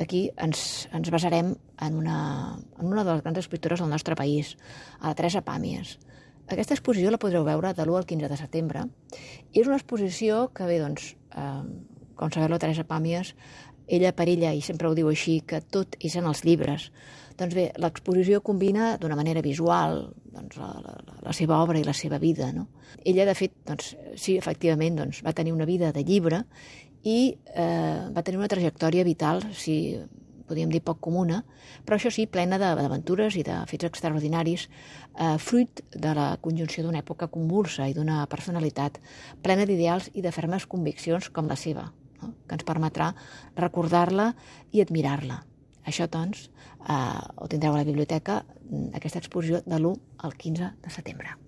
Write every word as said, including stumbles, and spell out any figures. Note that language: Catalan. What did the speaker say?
Aquí ens, ens basarem en una, en una de les grans escriptores del nostre país, a la Teresa Pàmies. Aquesta exposició la podreu veure de l'u al quinze de setembre i és una exposició que, bé, doncs, eh, com sabeu, la Teresa Pàmies, ella per ella, i sempre ho diu així, que tot és en els llibres. Doncs bé, l'exposició combina d'una manera visual doncs, la, la, la seva obra i la seva vida. No? Ella, de fet, doncs, sí, efectivament, doncs, va tenir una vida de llibre i eh, va tenir una trajectòria vital, si podríem dir poc comuna, però això sí, plena d'aventures i de fets extraordinaris, eh, fruit de la conjunció d'una època convulsa i d'una personalitat plena d'ideals i de fermes conviccions com la seva, no? Que ens permetrà recordar-la i admirar-la. Això, doncs, eh, ho tindreu a la biblioteca, aquesta exposició de l'u al quinze de setembre.